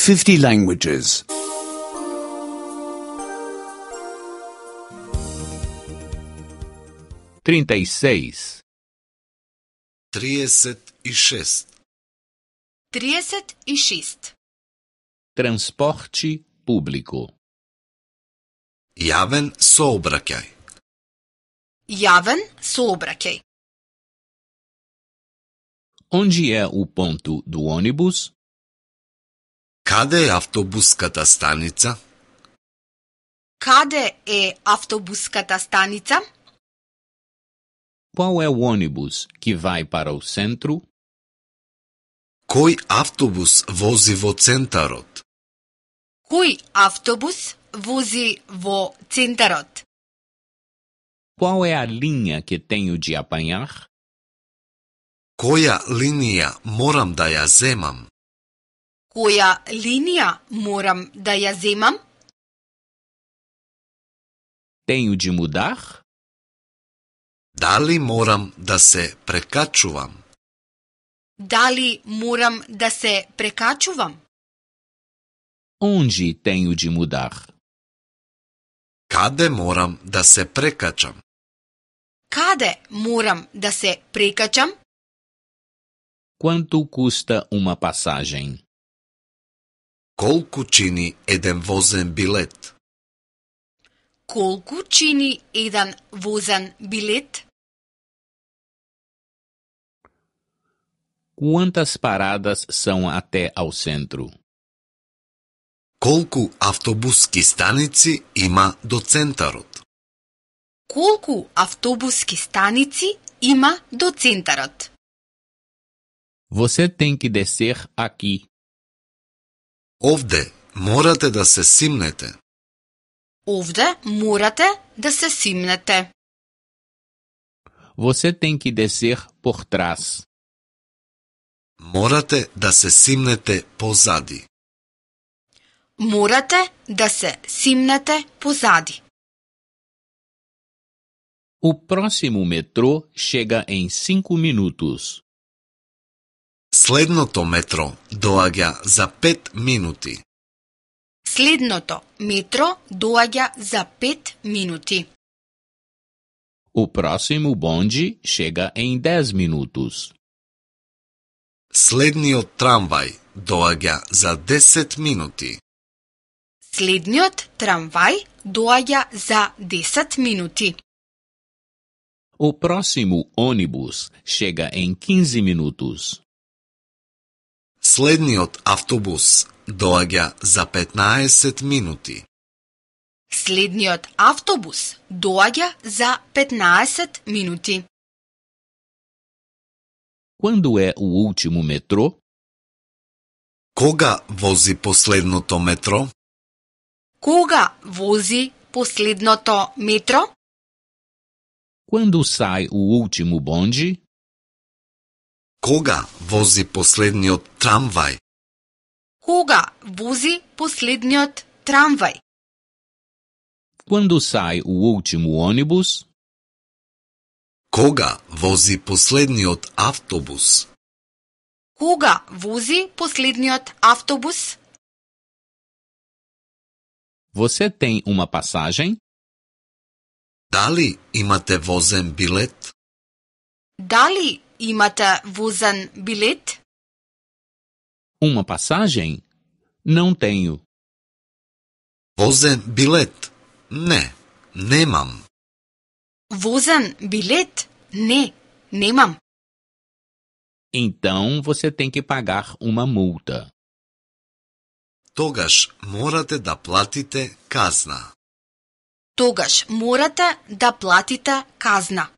50 languages. 36. 36. Transporte público. Јавен сообраќај. Јавен сообраќај. Onde é o ponto do ônibus? Каде е автобуската станица? Каде е автобуската станица? Qual é o ônibus que vai para o centro? Кој автобус вози во центарот? Кој автобус вози во центарот? Qual é a linha que tenho de apanhar? Која линија морам да ја земам? Која линија морам да ја земам? Tenho de mudar? Дали морам да се прекачувам? Дали морам да се прекачувам? Onde tenho de mudar? Каде морам да се прекачам? Каде морам да се прекачам? Quanto custa uma passagem? Колку чини еден возен билет? Колку чини еден возен билет? Quantas paradas são até ao centro? Колку автобуски станици има до центарот? Колку автобуски станици има до центарот? Você tem que descer aqui. Овде морате да се симнете. Овде морате да се симнете. Você tem que descer por trás. Морате да се симнете позади. Морате да се симнете позади. O próximo metrô chega em 5 minutos. Следното метро доаѓа за 5 минути. Следното метро доаѓа за 5 минути. O próximo bonde chega em 10 minutos. Следниот трамвај доаѓа за 10 минути. Следниот трамвај доаѓа за 10 минути. O próximo ônibus chega em 15 minutos. Следниот автобус доаѓа за 15 минути. Следниот автобус доаѓа за 15 минути. Quando é o último metrô? Кога вози последното метро? Кога вози последното метро? Quando sai o último bonde? Кога вози последниот трамвај? Кога вози последниот трамвај? Quando sai o último ônibus? Кога вози последниот автобус? Кога вози последниот автобус? Você tem uma passagem? Дали имате возен билет? Дали имате возен билет? Uma passagem? Não tenho. Возен билет? Не, немам. Возен билет? Не, немам. Então você tem que pagar uma multa. Тогаш морате да платите казна. Тогаш морате да платите казна.